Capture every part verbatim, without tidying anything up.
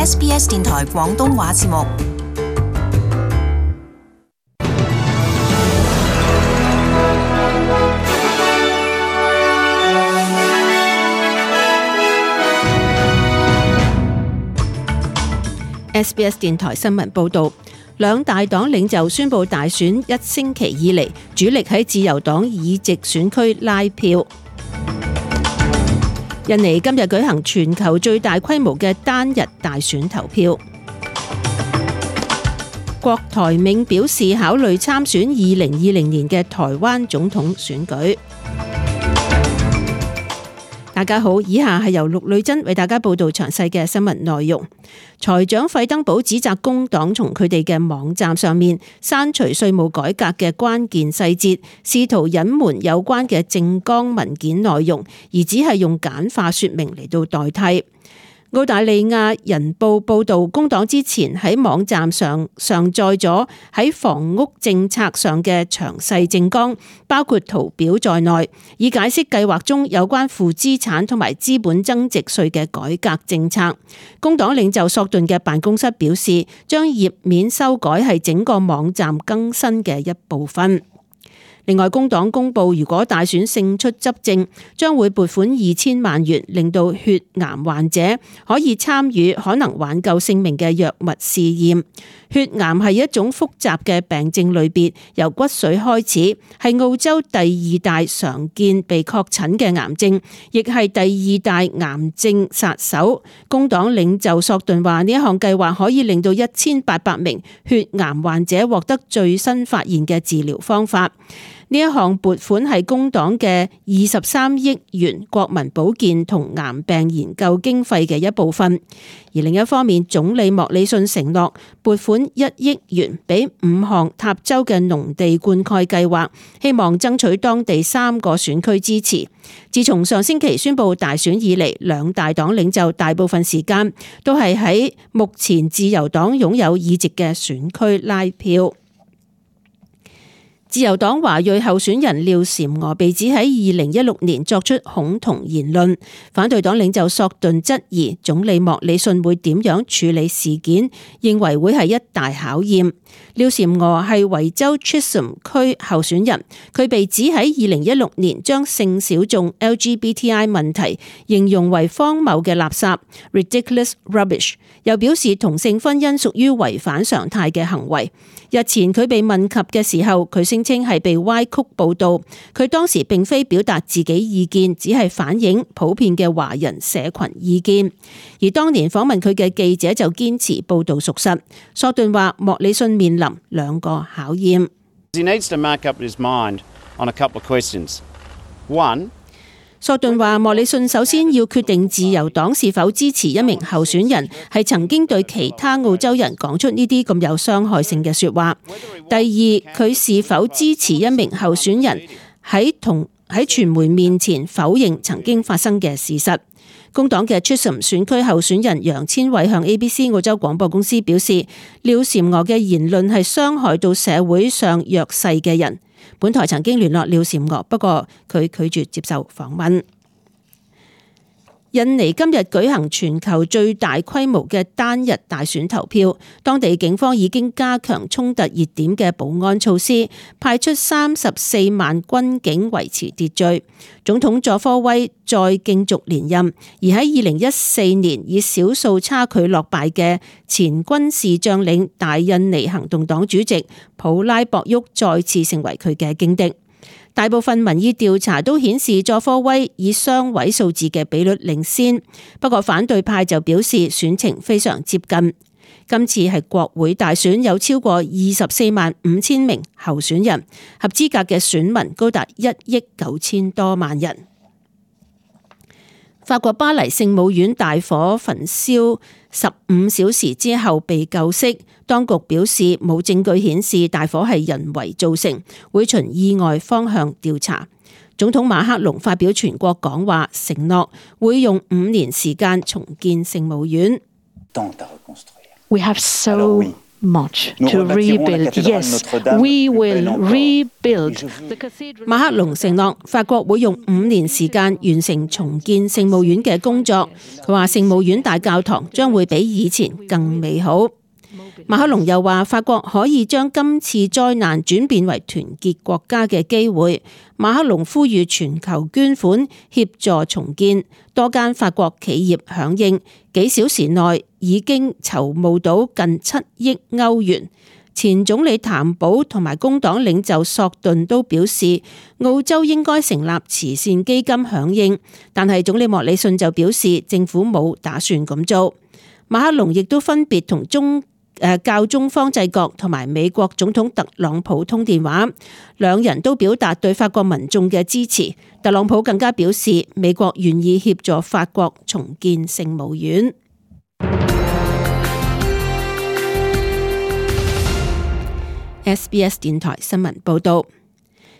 S B S 電台廣東話節目。S B S 電台新聞報道，兩大黨領袖宣布大選一星期以嚟，主力喺自由黨議席選區拉票。印尼今日舉行全球最大規模嘅單日大選投票。郭台銘表示考慮參選二零二零年嘅台灣總統選舉。大家好，以下係由陸女珍為大家報道詳細嘅新聞內容。財長費登堡指責工黨從佢哋嘅網站上面刪除稅務改革嘅關鍵細節，試圖隱瞞有關嘅政綱文件內容，而只係用簡化說明嚟到代替。澳大利亞人報報道，工黨之前喺網站上上載咗喺房屋政策上嘅詳細政綱，包括圖表在內，以解釋計劃中有關負資產同埋資本增值稅嘅改革政策。工黨領袖索頓嘅辦公室表示，將頁面修改係整個網站更新嘅一部分。另外，工黨公布，如果大選勝出執政，將會撥款二千萬元，令到血癌患者可以參與可能挽救性命嘅藥物試驗。血癌係一種複雜嘅病症類別，由骨髓開始，係澳洲第二大常見被確診嘅癌症，亦係第二大癌症殺手。工黨領袖索頓話，呢一項計劃可以令到一千八百名血癌患者獲得最新發現嘅治療方法。呢一項撥款係工黨嘅二十三億元國民保健同癌病研究經費嘅一部分，而另一方面，總理莫里遜承諾撥款一億元俾五項塔州嘅農地灌溉計劃，希望爭取當地三個選區支持。自從上星期宣布大選以嚟，兩大黨領袖大部分時間都係喺目前自由黨擁有議席嘅選區拉票。自由黨華裔候選人廖嬋娥被指喺二零一六年作出恐同言論，反對黨領袖索頓質疑總理莫里遜會點樣處理事件，認為會係一大考驗。廖嬋娥係維州 Chisholm 區候選人，佢被指喺二零一六年將性小眾 L G B T I 問題形容為荒謬嘅垃圾 ridiculous rubbish， 又表示同性婚姻屬於違反常態嘅行為。日前佢被問及嘅時候，佢聲稱係被歪曲報導，佢當時並非表達自己意見，只係反映普遍嘅華人社群意見。而當年訪問佢嘅記者就堅持報導屬實。索頓話莫里遜面臨兩個考驗。He needs to make up his mind on a couple of questions. One,索頓話莫里遜首先要決定自由黨是否支持一名候選人係曾經對其他澳洲人講出呢啲咁有傷害性嘅說話。第二，佢是否支持一名候選人喺同喺傳媒面前否認曾經發生嘅事實。工黨嘅 Chisholm 選區候選人楊千偉向 A B C 澳洲廣播公司表示，廖嬋娥嘅言論係傷害到社會上弱勢嘅人。本台曾經聯絡廖嬋娥，不過佢拒絕接受訪問。印尼今日舉行全球最大規模嘅單日大選投票，當地警方已經加強衝突熱點嘅保安措施，派出三十四萬軍警維持秩序。總統佐科威再競逐連任，而喺二零一四年以少數差距落敗嘅前軍事將領大印尼行動黨主席普拉博沃再次成為佢嘅勁敵。大部分民意調查都顯示佐科威以雙位數字嘅比率領先，不過反對派就表示選情非常接近。今次係國會大選，有超過二十四萬五千名候選人，合資格嘅選民高達一億九千多萬人。法國巴黎聖母院大火焚燒十五小時之後被救熄，當局表示冇證據顯示大火係人為造成，會循意外方向調查。總統馬克龍發表全國講話，承諾會用五年時間重建聖母院。We have so much to rebuild. Yes, we will rebuild. 馬克龍承諾法國會用五年時間完成重建聖母院嘅工作。佢話聖母院大教堂將會比以前更美好。馬克龍又話法國可以將今次災難轉變為團結國家嘅機會。馬克龍呼籲全球捐款協助重建，多間法國企業響應，幾小時內已經籌募到近七億歐元。前總理譚寶同埋工黨領袖索頓都表示，澳洲應該成立慈善基金響應，但係總理莫里遜就表示政府冇打算咁做。馬克龍亦都分別同中誒教宗方濟各同埋美國總統特朗普通電話，兩人都表達對法國民眾嘅支持。特朗普更加表示，美國願意協助法國重建聖母院。S B S 電台新聞報道，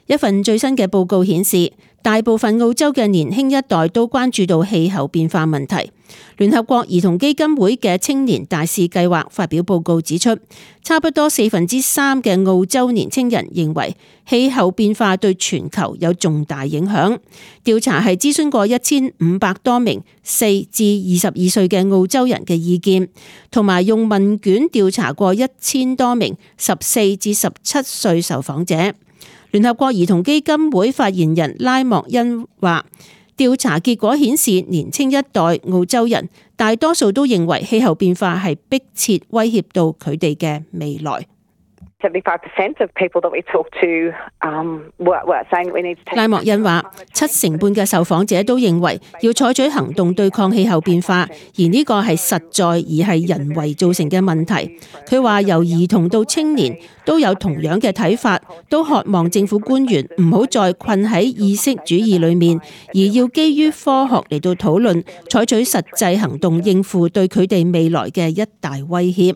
一份最新嘅報告顯示，大部分澳洲嘅年輕一代都關注到氣候變化問題。聯合國兒童基金會嘅青年大使計劃發表報告指出，差不多四分之三嘅澳洲年輕人認為氣候變化對全球有重大影響。調查係諮詢過一千五百多名四至二十二歲嘅澳洲人嘅意見，同埋用問卷調查過一千多名十四至十七歲受訪者。聯合國兒童基金會發言人拉莫恩話，調查結果顯示，年輕一代澳洲人大多數都認為氣候變化係迫切威脅到佢哋嘅未來。拉莫恩話，七成半嘅受訪者都認為要採取行動對抗氣候變化，而呢個係實在而係人為造成嘅問題。佢話由兒童到青年都有同樣嘅睇法，都渴望政府官員唔好再困喺意識主義裏面，而要基於科學嚟到討論，採取實際行動應付對佢哋未來嘅一大威脅。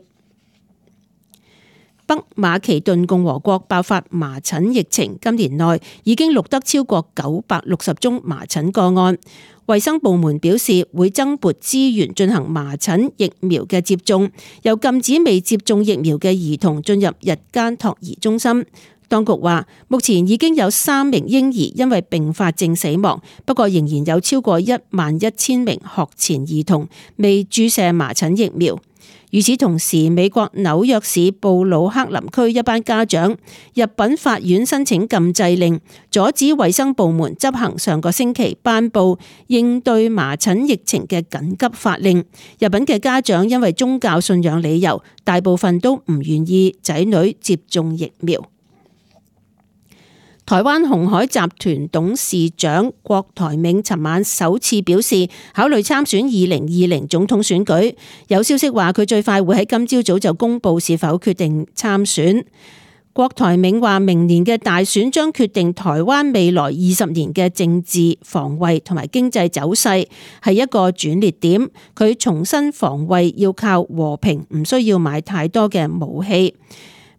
北馬其頓共和國爆發麻疹疫情，今年內已經錄得超過九百六十宗麻疹個案。衛生部門表示會增撥資源進行麻疹疫苗嘅接種，又禁止未接種疫苗嘅兒童進入日間托兒中心。當局話，目前已經有三名嬰兒因為併發症死亡，不過仍然有超過一萬一千名學前兒童未注射麻疹疫苗。與此同時，美國紐約市布魯克林區一班家長入稟法院申請禁制令，阻止衛生部門執行上個星期頒布應對麻疹疫情嘅緊急法令。入稟嘅家長因為宗教信仰理由，大部分都唔願意仔女接種疫苗。台灣鴻海集團董事長郭台銘尋晚首次表示考慮參選二零二零總統選舉，有消息話佢最快會喺今朝早就公布是否決定參選。郭台銘話明年嘅大選將決定台灣未來二十年嘅政治、防衛同埋經濟走勢，係一個轉捩點。佢重申防衛要靠和平，唔需要買太多嘅武器。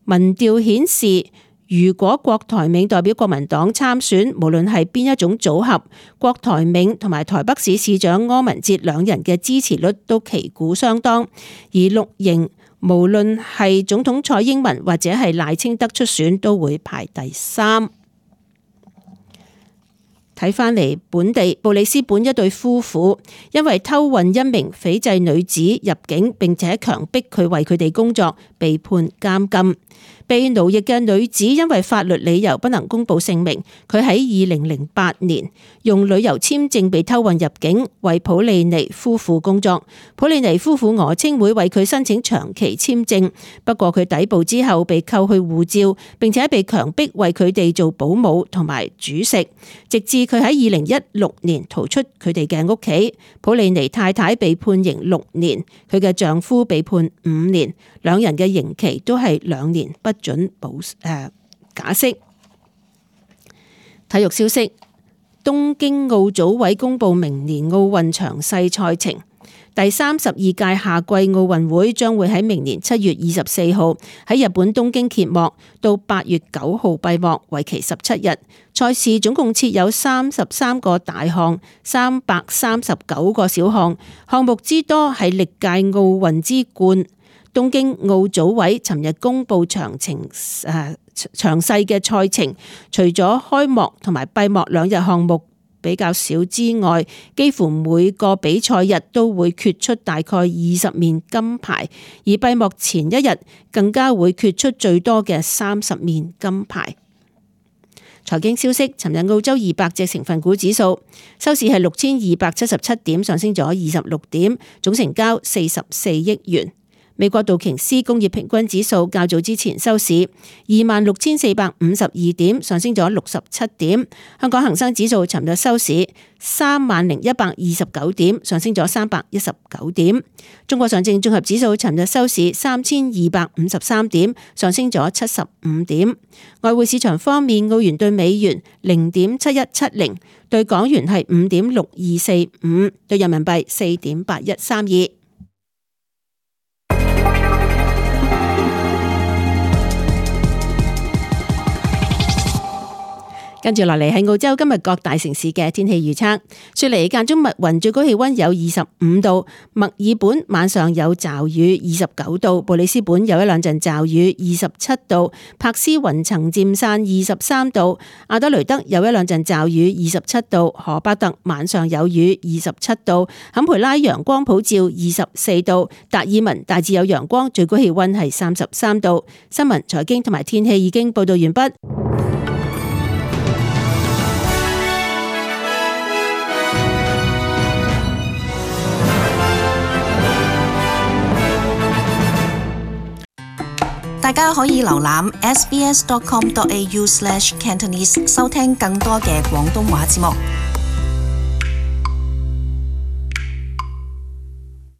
民調顯示，如果郭台銘代表國民黨參選，無論係邊一種組合，郭台銘同埋台北市市長柯文哲兩人嘅支持率都旗鼓相當。而綠營無論係總統蔡英文或者係賴清德出選，都會排第三。睇返嚟本地布里斯本一對夫婦因為偷運一名斐濟女子入境，並且強迫佢為佢哋工作，被判監禁。被奴役嘅女子因為法律理由不能公布姓名，佢喺二零零八年用旅遊簽證被偷運入境，為普利尼夫婦工作。普利尼夫婦訛稱會為佢申請長期簽證，不過佢抵埗之後被扣去護照，並且被強迫為佢哋做保姆同埋煮食，直至佢喺二零一六年逃出佢哋嘅屋企。普利尼太太被判刑六年，佢嘅丈夫被判五年，兩人嘅刑期都係兩年不准保誒、呃、假釋。體育消息：東京奧組委公布明年奧運詳細賽程。第三十二屆夏季奧運會將會喺明年七月二十四號喺日本東京揭幕，到八月九號閉幕，為期十七日。賽事總共設有三十三個大項，三百三十九個小項，項目之多係歷屆奧運之冠。東京奧組委尋日公布詳情誒詳細嘅賽程，除咗開幕同埋閉幕兩日項目比較少之外，幾乎每個比賽日都會決出大概二十面金牌，而閉幕前一日更加會決出最多嘅三十面金牌。財經消息，尋日澳洲二百隻成分股指數收市係六千二百七十七點，上升咗二十六點，總成交四十四億元。美國道瓊斯工業平均指數較早之前收市二萬六千四百五十二點，上升咗六十七點。香港恒生指數尋日收市三萬零一百二十九點，上升咗三百一十九點。中國上證綜合指數尋日收市三千二百五十三點，上升咗七十五點。外匯市場方面，澳元對美元零點七一七零，對港元係五點六二四五，對人民幣四點八一三二。跟住落嚟係澳洲今日各大城市嘅天氣預測。雪梨間中密雲，最高氣溫有二十五度；墨爾本晚上有驟雨，二十九度；布里斯本有一兩陣驟雨，二十七度；柏斯雲層漸散，二十三度；阿德雷德有一兩陣驟雨，二十七度；荷巴特晚上有雨，二十七度；坎培拉陽光普照，二十四度；達爾文大致有陽光，最高氣溫係三十三度。新聞、財經同埋天氣已經報道完畢。大家可以瀏覽 s b s dot com dot a u slash cantonese 收聽更多嘅廣東話節目。